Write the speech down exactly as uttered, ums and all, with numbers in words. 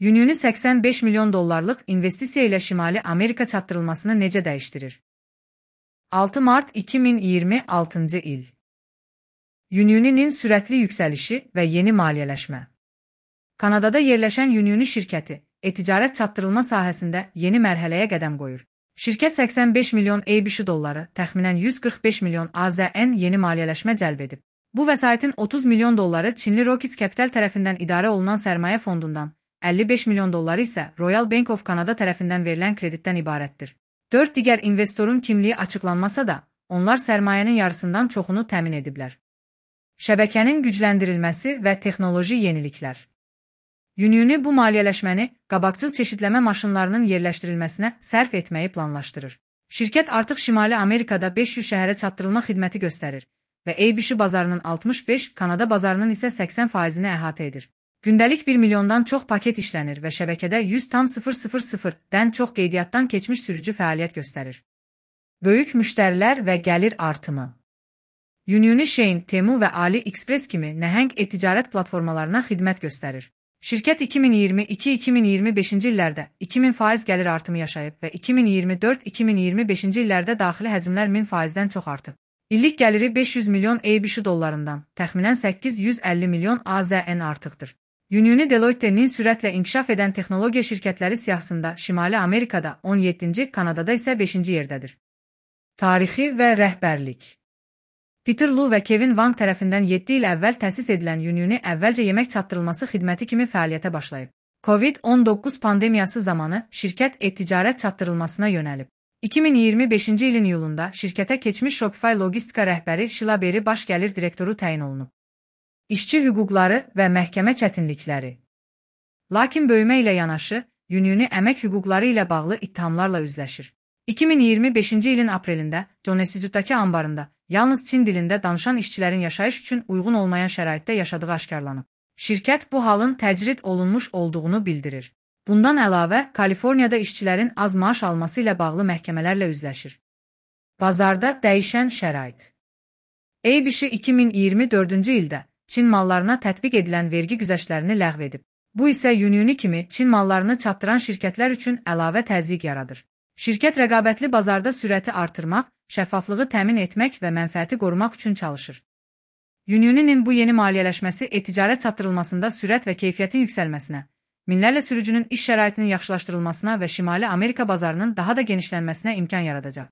Unioni səksən beş milyon dollarlıq investisiya ilə Şimali Amerika çatdırılmasını necə dəyişdirir? altı mart iki min iyirmi altıncı il. Unioninin sürətli yüksəlişi və yeni maliyyələşmə. Kanadada yerləşən Unioni şirkəti, e-ticarət çatdırılma sahəsində yeni mərhələyə qədəm qoyur. Şirkət səksən beş milyon ABŞ dolları, təxminən yüz qırx beş milyon AZN yeni maliyyələşmə cəlb edib. Bu vəsaitin otuz milyon dolları Çinli Rockets Capital tərəfindən idarə olunan sərmayə fondundan, əlli beş milyon dolları isə Royal Bank of Canada tərəfindən verilən kreditdən ibarətdir. Dörd digər investorun kimliyi açıqlanmasa da, onlar sərmayənin yarısından çoxunu təmin ediblər. Şəbəkənin gücləndirilməsi və texnoloji yeniliklər. Unioni bu maliyyələşməni qabaqcıl çeşidləmə maşınlarının yerləşdirilməsinə sərf etməyi planlaşdırır. Şirkət artıq Şimali Amerikada beş yüz şəhərə çatdırılma xidməti göstərir və ABC bazarının altmış beş, Kanada bazarının isə səksən faizini əhatə edir. Gündəlik bir milyondan çox paket işlənir və şəbəkədə yüz tam sıfır sıfır sıfırdən çox qeydiyyatdan keçmiş sürücü fəaliyyət göstərir. Böyük müştərilər və gəlir artımı. Unioni Shein, Temu və AliExpress kimi nəhəng e-ticarət platformalarına xidmət göstərir. Şirkət iki min iyirmi iki iki min iyirmi beşinci illərdə iki min faiz gəlir artımı yaşayıb və iki min iyirmi dörd iki min iyirmi beşinci illərdə daxili həcmlər min faizdən çox artıb. İllik gəliri beş yüz milyon ABŞ dollarından, təxminən səkkiz yüz əlli milyon AZN artıqdır. Unioni Deloitte'nin sürətlə inkişaf edən texnologiya şirkətləri siyahısında Şimali Amerikada on yeddinci, Kanadada isə beşinci yerdədir. Tarixi və rəhbərlik. Peter Lu və Kevin Wang tərəfindən yeddi il əvvəl təsis edilən Unioni əvvəlcə yemək çatdırılması xidməti kimi fəaliyyətə başlayıb. Covid on doqquz pandemiyası zamanı şirkət e-ticarət çatdırılmasına yönəlib. iki min iyirmi beşinci ilin iyulunda şirkətə keçmiş Shopify logistika rəhbəri Sheila Berry baş gəlir direktoru təyin olunub. İşçi hüquqları və məhkəmə çətinlikləri. Lakin böyümə ilə yanaşı, Unioni əmək hüquqları ilə bağlı ittihamlarla üzləşir. iki min iyirmi beşinci ilin aprelində Jonesitudakı ambarında yalnız Çin dilində danışan işçilərin yaşayış üçün uyğun olmayan şəraitdə yaşadığı aşkarlanıb. Şirkət bu halın təcrid olunmuş olduğunu bildirir. Bundan əlavə, Kaliforniyada işçilərin az maaş alması ilə bağlı məhkəmələrlə üzləşir. Bazarda dəyişən şərait. ABC iki min iyirmi dördüncü ildə Çin mallarına tətbiq edilən vergi güzəştlərini ləğv edib. Bu isə Unioni kimi Çin mallarını çatdıran şirkətlər üçün əlavə təzyiq yaradır. Şirkət rəqabətli bazarda sürəti artırmaq, şəffaflığı təmin etmək və mənfəəti qorumaq üçün çalışır. Unioninin bu yeni maliyyələşməsi e-ticarət çatdırılmasında sürət və keyfiyyətin yüksəlməsinə, minlərlə sürücünün iş şəraitinin yaxşılaşdırılmasına və Şimali Amerika bazarının daha da genişlənməsinə imkan yaradacaq.